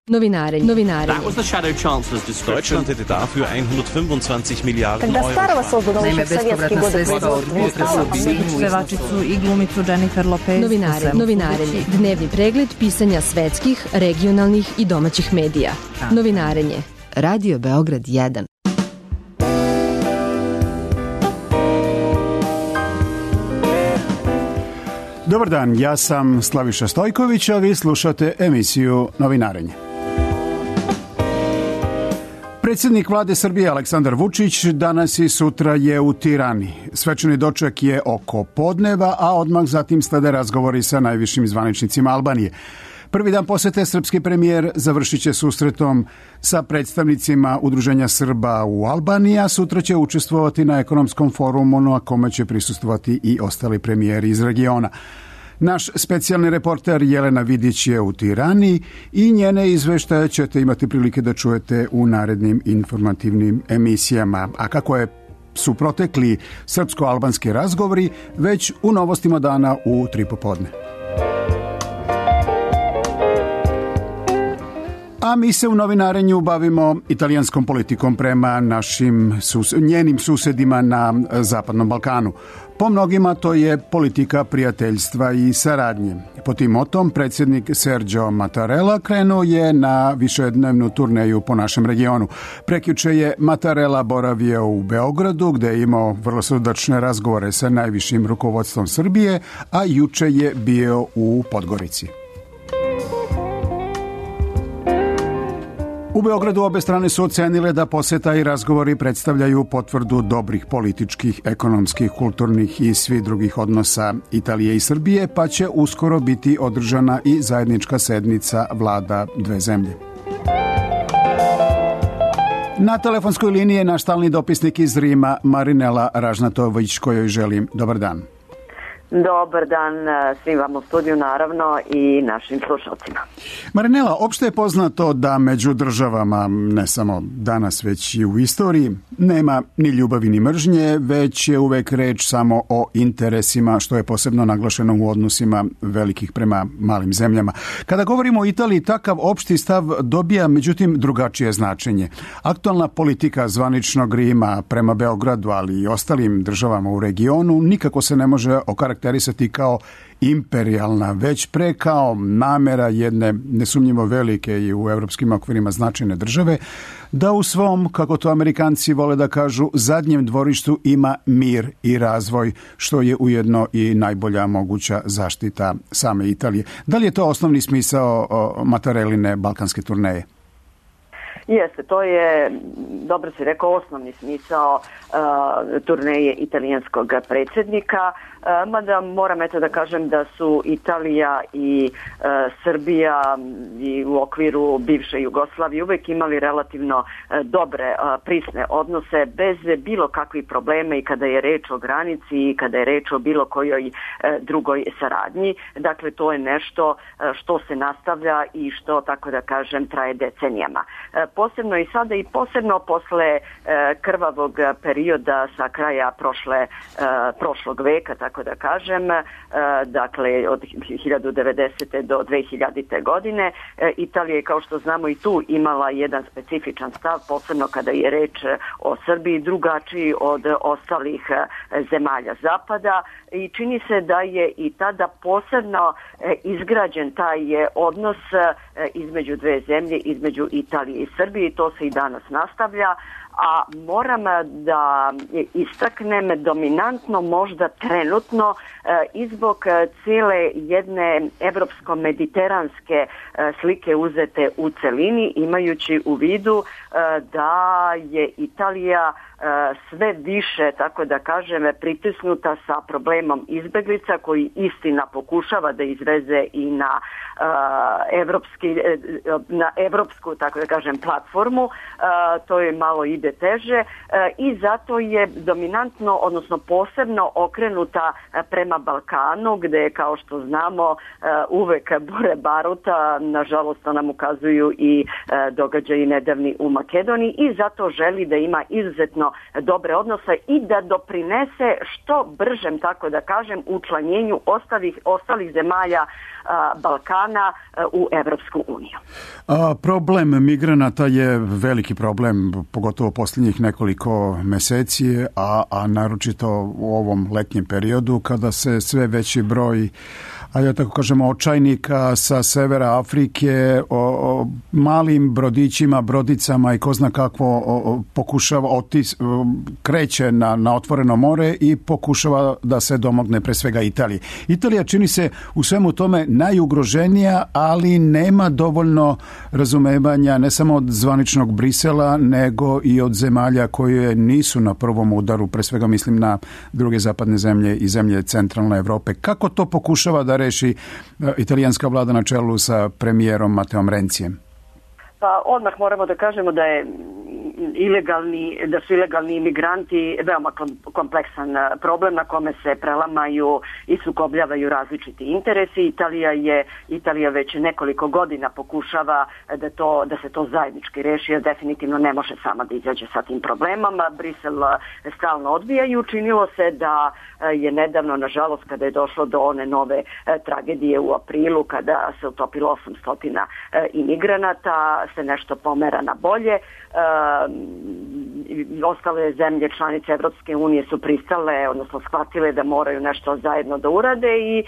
Novinare. That was the Shadow Chancellor's description. Deutschland hätte dafür 125 Milijarden Когда Euro. Starova sozdala još sovjetski god. Pevačicu i glumicu Jennifer Lopez. Novinarenje. Dnevni pregled pisanja svetskih, regionalnih i domaćih medija. Novinarenje. Radio Beograd 1. Dobar dan, ja sam Slaviša Stojković, a vi slušate emisiju Novinarenje. Predsjednik vlade Srbije Aleksandar Vučić danas i sutra je u Tirani. Svečani doček je oko podneva, a odmah zatim slede razgovori sa najvišim zvaničnicima Albanije. Prvi dan posete srpski premijer završit će susretom sa predstavnicima Udruženja Srba u Albaniji, a sutra će učestvovati na ekonomskom forumu na kome će prisustvovati i ostali premijeri iz regiona. Naš specijalni reporter Jelena Vidić je u Tirani i njene izveštaje ćete imati prilike da čujete u narednim informativnim emisijama. A kako su protekli srpsko-albanski razgovori, već u novostima dana u 3 popodne. A mi se u novinarenju bavimo italijanskom politikom prema njenim susedima na Zapadnom Balkanu. Po mnogima to je politika prijateljstva i saradnje. Po tim motom predsjednik Sergio Mattarella krenuo je na višednevnu turneju po našem regionu. Prekjuče je Mattarella boravio u Beogradu gdje je imao vrlo srdačne razgovore sa najvišim rukovodstvom Srbije, a juče je bio u Podgorici. U Beogradu obe strane su ocenile da poseta i razgovori predstavljaju potvrdu dobrih političkih, ekonomskih, kulturnih i svih drugih odnosa Italije i Srbije, pa će uskoro biti održana i zajednička sednica vlada dve zemlje. Na telefonskoj liniji je naš stalni dopisnik iz Rima, Marinela Ražnatović, kojoj želim dobar dan. Dobar dan svim vam u studiju, naravno, i našim slušalcima. Marinela, opšte je poznato da među državama, ne samo danas, već i u istoriji, nema ni ljubavi ni mržnje, već je uvek reč samo o interesima, što je posebno naglašeno u odnosima velikih prema malim zemljama. Kada govorimo o Italiji, takav opšti stav dobija, međutim, drugačije značenje. Aktualna politika zvaničnog Rima prema Beogradu, ali i ostalim državama u regionu, nikako se ne može okarakterisati kao imperijalna, već pre kao namera jedne nesumnjivo velike i u evropskim okvirima značajne države, da u svom, kako to Amerikanci vole da kažu, zadnjem dvorištu ima mir i razvoj, što je ujedno i najbolja moguća zaštita same Italije. Da li je to osnovni smisao Mattarelline balkanske turneje? Jeste, to je, dobro si rekao, osnovni smisao turneje italijanskog predsjednika, mada moram da kažem da su Italija i Srbija i u okviru bivše Jugoslavije uvek imali relativno dobre, prisne odnose bez bilo kakvih problema i kada je reč o granici i kada je reč o bilo kojoj drugoj saradnji. Dakle, to je nešto što se nastavlja i što, tako da kažem, traje decenijama. Posebno i sada i posebno posle krvavog perioda sa kraja prošlog veka, tako da kažem, dakle od 1090. do 2000. godine, Italija je, kao što znamo, i tu imala jedan specifičan stav, posebno kada je reč o Srbiji, drugačiji od ostalih zemalja zapada, i čini se da je i tada posebno izgrađen taj odnos između dve zemlje, između Italije i Srbije, i to se i danas nastavlja. A moram da istaknem dominantno možda trenutno i zbog cijele jedne evropsko-mediteranske slike uzete u celini, imajući u vidu da je Italija sve više, tako da kažem, pritisnuta sa problemom izbeglica, koji istina pokušava da izveze i na evropsku, tako da kažem, platformu. To je malo ide teže i zato je dominantno, odnosno posebno okrenuta smjera prema Balkanu, gdje kao što znamo uvek bure baruta, nažalost to nam ukazuju i događaji nedavni u Makedoniji, i zato želi da ima izuzetno dobre odnose i da doprinese što bržem, tako da kažem, učlanjenju ostalih zemalja Balkana u Evropsku uniju. Problem migranata je veliki problem, pogotovo posljednjih nekoliko meseci, a naročito u ovom letnjem periodu kada se sve veći broj, a ja tako kažemo, očajnika sa severa Afrike o malim brodićima, brodicama i ko zna kakvo pokušava kreće na otvoreno more i pokušava da se domogne pre svega Italije. Italija čini se u svemu tome najugroženija, ali nema dovoljno razumevanja ne samo od zvaničnog Brisela, nego i od zemalja koje nisu na prvom udaru, pre svega mislim na druge zapadne zemlje i zemlje centralne Evrope. Kako to pokušava da reši italijanska vlada na čelu sa premijerom Mateom Rencijem? Pa odmah moramo da kažemo da su ilegalni imigranti veoma kompleksan problem na kome se prelamaju i sukobljavaju različiti interesi. Italija već nekoliko godina pokušava da se to zajednički reši, jer definitivno ne može sama da izađe sa tim problemom. Brisel stalno odbija i učinilo se da je nedavno, nažalost, kada je došlo do one nove tragedije u aprilu, kada se utopilo 800 imigranata, se nešto pomera na bolje. Ostale zemlje članice Evropske unije su pristale, odnosno shvatile da moraju nešto zajedno da urade, i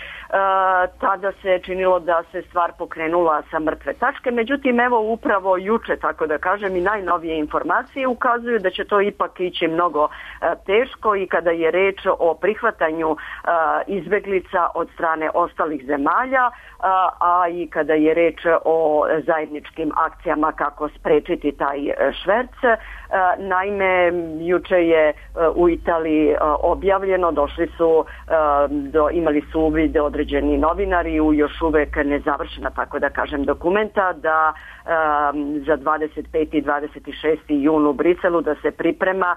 tada se činilo da se stvar pokrenula sa mrtve tačke. Međutim, evo upravo juče, tako da kažem, i najnovije informacije ukazuju da će to ipak ići mnogo teško, i kada je reč o prihvatanju izbeglica od strane ostalih zemalja, a i kada je reč o zajedničkim akcijama kako sprečiti taj šverc. Naime, juče je u Italiji objavljeno, imali su uvid određeni novinari u još uvek nezavršena, tako da kažem, dokumenta, da za 25. i 26. jun u Briselu da se priprema,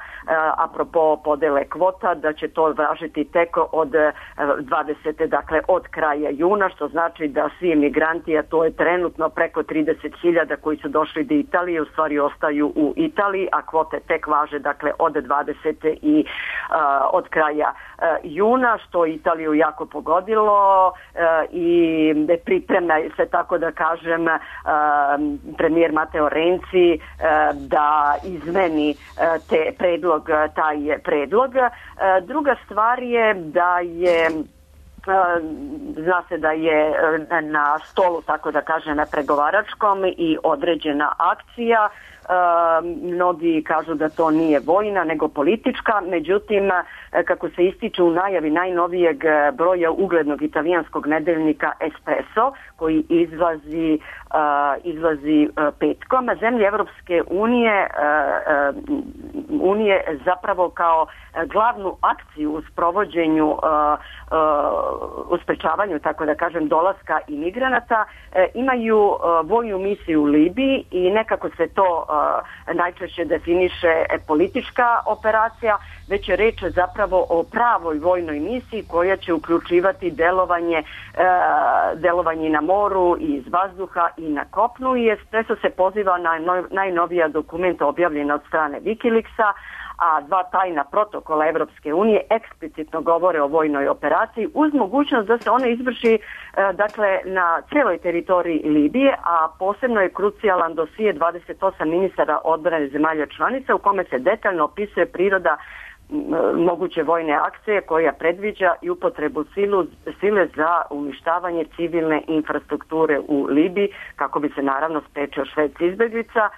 apropo podele kvota, da će to važiti tek od 20. dakle od kraja juna, što znači da svi emigranti, a to je trenutno preko 30.000 koji su došli do Italije, u stvari ostaju u Italiji, a kvote tek važe dakle od 20. i od kraja juna, što Italiju jako pogodilo, i priprema se, tako da kažem, premijer Mateo Renci da izmeni taj predlog. Druga stvar je da je zna se da je na stolu, tako da kažem, na pregovaračkom i određena akcija. Mnogi kažu da to nije vojna nego politička, međutim, kako se ističe u najavi najnovijeg broja uglednog italijanskog nedeljnika Espresso, koji izlazi petkom, zemlje Evropske unije zapravo kao glavnu akciju u sprovođenju, u sprečavanju, tako da kažem, dolaska imigranata, imaju vojnu misiju u Libiji, i nekako se to najčešće definiše politička operacija, već je reč zapravo o pravoj vojnoj misiji koja će uključivati delovanje na moru i iz vazduha i na kopnu, i Espresso se poziva na najnovija dokumenta objavljena od strane Wikileaksa, a dva tajna protokola Evropske unije eksplicitno govore o vojnoj operaciji uz mogućnost da se ona izvrši dakle na cijeloj teritoriji Libije, a posebno je krucijalan dosije 28 ministara odbrane zemalja članica u kome se detaljno opisuje priroda moguće vojne akcije koja predviđa i upotrebu sile za uništavanje civilne infrastrukture u Libiji, kako bi se naravno sprečio šverc izbeglica.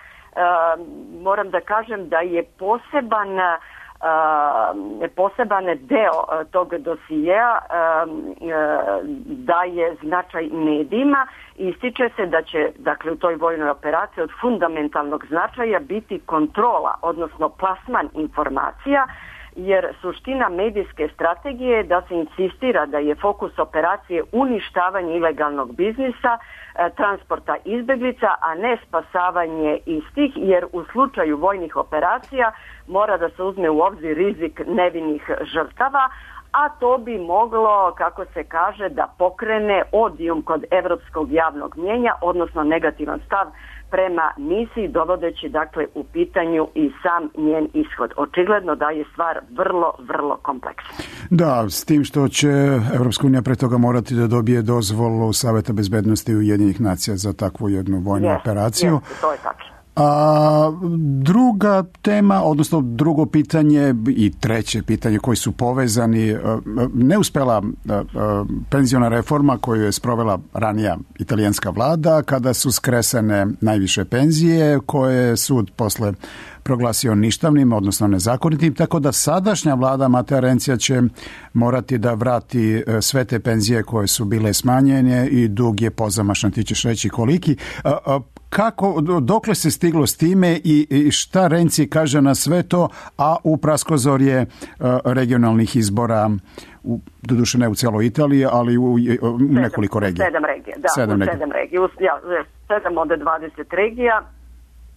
Moram da kažem da je poseban deo tog dosijeja daje značaj medijima, i ističe se da će, dakle, u toj vojnoj operaciji od fundamentalnog značaja biti kontrola, odnosno plasman informacija, jer suština medijske strategije je da se insistira da je fokus operacije uništavanje ilegalnog biznisa, transporta izbeglica, a ne spasavanje istih, jer u slučaju vojnih operacija mora da se uzme u obzir rizik nevinih žrtava, a to bi moglo, kako se kaže, da pokrene odijum kod evropskog javnog mnijenja, odnosno negativan stav prema misiji, dovodeći dakle u pitanju i sam njen ishod. Očigledno da je stvar vrlo, vrlo kompleksna. Da, s tim što će Evropska unija pre toga morati da dobije dozvolu Saveta bezbednosti Ujedinjenih nacija za takvu jednu vojnu operaciju. To je tačno. A druga tema, odnosno drugo pitanje i treće pitanje koji su povezani, neuspela penziona reforma koju je sprovela ranija italijanska vlada kada su skresane najviše penzije koje je sud posle proglasio ništavnim, odnosno nezakonitim, tako da sadašnja vlada Matea Renzija će morati da vrati sve te penzije koje su bile smanjene i dug je pozamašan, ti ćeš reći koliki. Kako, dokle se stiglo s time i šta Renzi kaže na sve to, a u praskozorje regionalnih izbora, doduše ne u cijeloj Italiji, ali u nekoliko regija. 7 regija, da, 7 regija. 7 od 20 regija.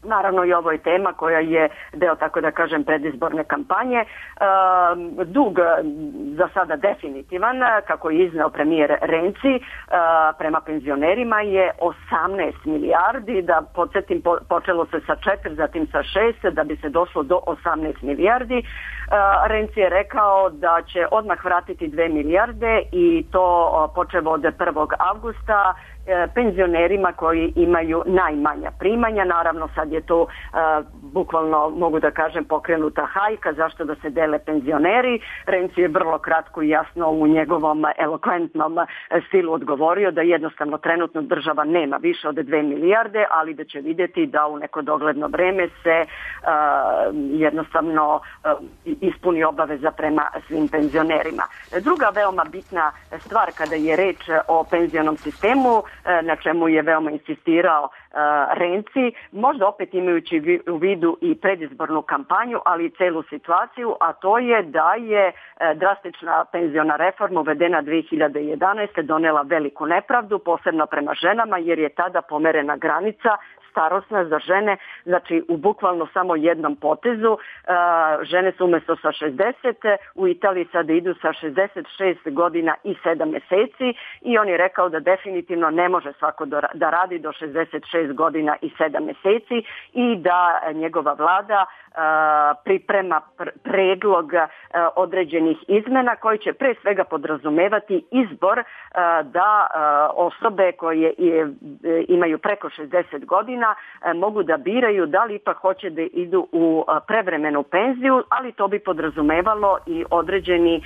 Naravno i ovo je tema koja je deo, tako da kažem, predizborne kampanje. Dug za sada definitivan, kako je izneo premijer Renzi, prema penzionerima je 18 milijardi, da podsjetim, počelo se sa 4, zatim sa 6, da bi se došlo do 18 milijardi. Renzi je rekao da će odmah vratiti 2 milijarde i to počevo od 1. avgusta penzionerima koji imaju najmanja primanja. Naravno sad je to bukvalno, mogu da kažem, pokrenuta hajka zašto da se dele penzioneri. Renzi je vrlo kratko i jasno u njegovom elokventnom stilu odgovorio da jednostavno trenutno država nema više od 2 milijarde, ali da će vidjeti da u neko dogledno vreme se jednostavno ispuni obaveza prema svim penzionerima. Druga veoma bitna stvar kada je reč o penzionom sistemu, na čemu je veoma insistirao Renzi, možda opet imajući u vidu i predizbornu kampanju, ali i celu situaciju, a to je da je drastična penziona reforma uvedena 2011. donela veliku nepravdu, posebno prema ženama, jer je tada pomerena granica starosna za žene, znači u bukvalno samo jednom potezu. Žene su umjesto sa 60, u Italiji sada idu sa 66 godina i 7 mjeseci i on je rekao da definitivno ne može svako da radi do 66 godina i 7 mjeseci i da njegova vlada priprema predlog određenih izmena koji će pre svega podrazumevati izbor da osobe koje imaju preko 60 godina mogu da biraju da li ipak hoće da idu u prevremenu penziju, ali to bi podrazumevalo i određeni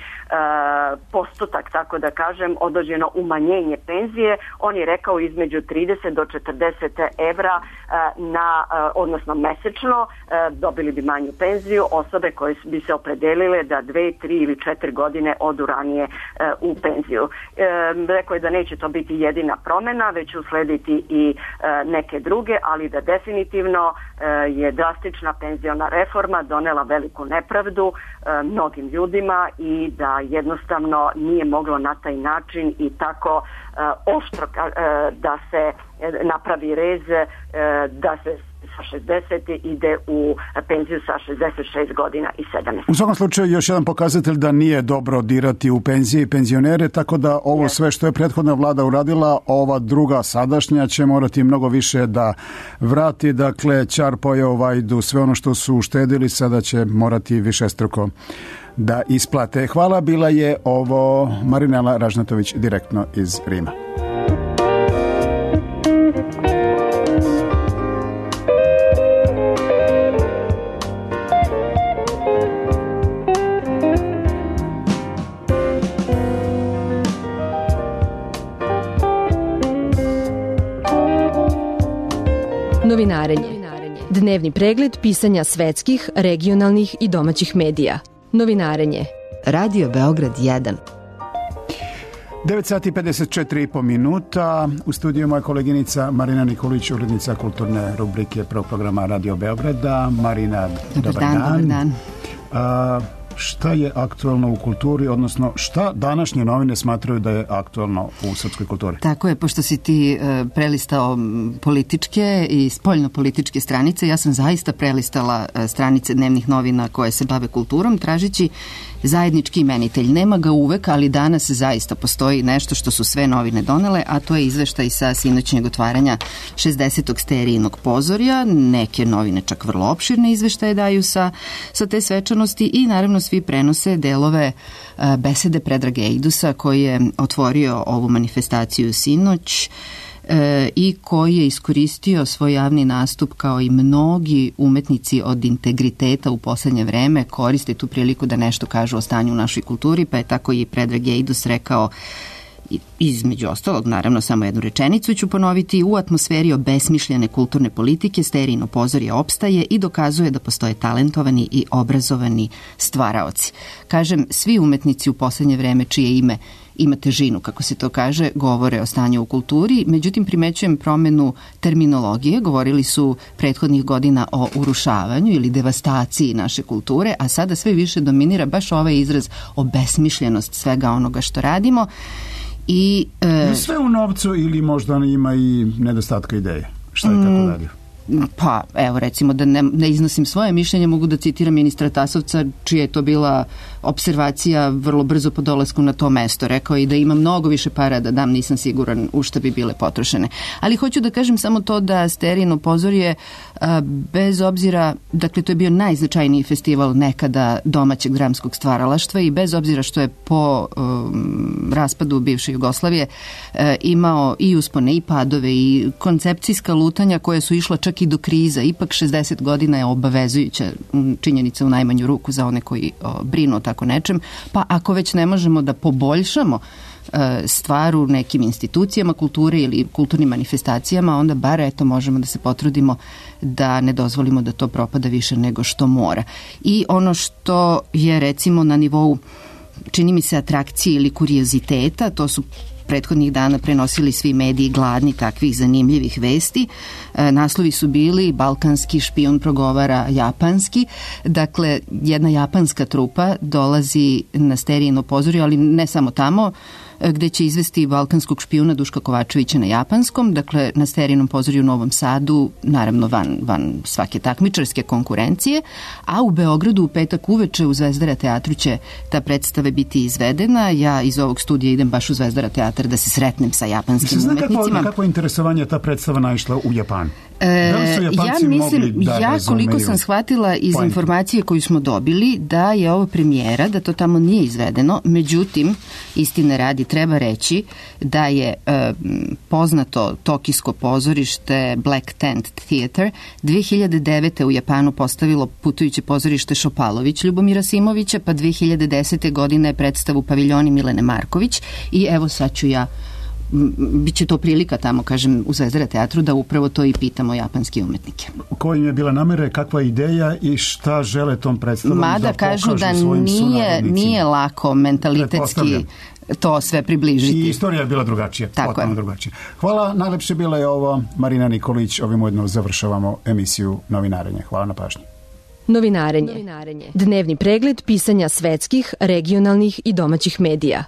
postotak, tako da kažem, određeno umanjenje penzije. On je rekao između 30 do 40 evra odnosno mesečno dobili bi manju penziju osobe koje bi se opredelile da 2, 3 ili 4 godine odu ranije u penziju. Rekao je da neće to biti jedina promjena, već će uslediti i neke druge, ali da definitivno je drastična penziona reforma donela veliku nepravdu mnogim ljudima i da jednostavno nije moglo na taj način i tako oštro da se napravi rez, da se sa 60 ide u penziju sa 66 godina i 7. U svakom slučaju još jedan pokazatelj da nije dobro dirati u penzije i penzionere, tako da ovo sve što je prethodna vlada uradila, ova druga sadašnja će morati mnogo više da vrati. Dakle, ćar pojeo vajdu, sve ono što su uštedili sada će morati višestruko da isplate. Hvala, bila je ovo Marinela Ražnatović direktno iz Rima. Novinarenje. Dnevni pregled pisanja svetskih, regionalnih i domaćih medija. Novinarenje. Radio Beograd 1. 9 sati 54,5 minuta. U studiju moja koleginica Marina Nikolić, urednica kulturne rubrike prvog programa Radio Beograda. Marina, dobar dan. Šta je aktualno u kulturi, odnosno šta današnje novine smatraju da je aktualno u srpskoj kulturi? Tako je, pošto si ti prelistao političke i spoljno-političke stranice, ja sam zaista prelistala stranice dnevnih novina koje se bave kulturom, tražeći zajednički imenitelj. Nema ga uvek, ali danas zaista postoji nešto što su sve novine donele, a to je izveštaj sa sinoćnjeg otvaranja 60. Sterijinog pozorja. Neke novine čak vrlo opširne izveštaje daju sa te svečanosti i naravno svi prenose delove besede Predraga Eidusa koji je otvorio ovu manifestaciju sinoć i koji je iskoristio svoj javni nastup kao i mnogi umetnici od integriteta u poslednje vreme koriste tu priliku da nešto kažu o stanju u našoj kulturi, pa je tako i Predrag Eidus rekao, između ostalog, naravno samo jednu rečenicu ću ponoviti: u atmosferi obesmišljene kulturne politike Sterijino pozorje opstaje i dokazuje da postoje talentovani i obrazovani stvaraoci. Kažem, svi umetnici u poslednje vreme čije ime ima težinu, kako se to kaže, govore o stanju u kulturi, međutim primećujem promenu terminologije. Govorili su prethodnih godina o urušavanju ili devastaciji naše kulture, a sada sve više dominira baš ovaj izraz obesmišljenost svega onoga što radimo. I sve u novcu ili možda ima i nedostatka ideje? Šta je tako dalje? Pa, evo, recimo da ne iznosim svoje mišljenje, mogu da citiram ministra Tasovca, čija je to bila observacija vrlo brzo po dolasku na to mesto. Rekao je da ima mnogo više para da dam, nisam siguran u šta bi bile potrošene. Ali hoću da kažem samo to da Sterijino pozorje, bez obzira, dakle to je bio najznačajniji festival nekada domaćeg dramskog stvaralaštva i bez obzira što je po raspadu bivše Jugoslavije imao i uspone i padove i koncepcijska lutanja koja su išla čak i do kriza. Ipak 60 godina je obavezujuća činjenica u najmanju ruku za one koji brinu o tako nečem, pa ako već ne možemo da poboljšamo stvar u nekim institucijama kulture ili kulturnim manifestacijama, onda bar eto možemo da se potrudimo da ne dozvolimo da to propada više nego što mora. I ono što je recimo na nivou, čini mi se, atrakcije ili kurioziteta, to su prethodnih dana prenosili svi mediji gladni takvih zanimljivih vesti. Naslovi su bili: balkanski špijun progovara japanski. Dakle, jedna japanska trupa dolazi na Sterijino pozorje, ali ne samo tamo, gde će izvesti balkanskog špijuna Duška Kovačevića na japanskom, dakle na Sterijinom pozorju u Novom Sadu, naravno van svake takmičarske konkurencije, a u Beogradu u petak uveče u Zvezdara teatru će ta predstava biti izvedena. Ja iz ovog studija idem baš u Zvezdara teatar da se sretnem sa japanskim umetnicima. Kako interesovanje ta predstava naišla u Japanu? Da li su Japanci mogli da razumeju? Koliko sam shvatila iz informacije koju smo dobili, da je ovo premijera, da to tamo nije izvedeno, međutim, istine radi, treba reći da je poznato tokijsko pozorište Black Tent Theater 2009. u Japanu postavilo putujuće pozorište Šopalović Ljubomira Simovića, pa 2010. godine je predstavu Paviljoni Milene Marković i evo sad ću ja, biće to prilika tamo, kažem, u Zvezdara teatru da upravo to i pitamo japanske umetnike. Koja im je bila namera, kakva ideja i šta žele tom predstavom da pokažu kažu da nije lako mentalitetski to sve približiti. I istorija je bila drugačija. Tako je. Drugačija. Hvala, najlepše bila je ovo Marina Nikolić. Ovim ujedno završavamo emisiju Novinarenje. Hvala na pažnji. Novinarenje. Dnevni pregled pisanja svetskih, regionalnih i domaćih medija.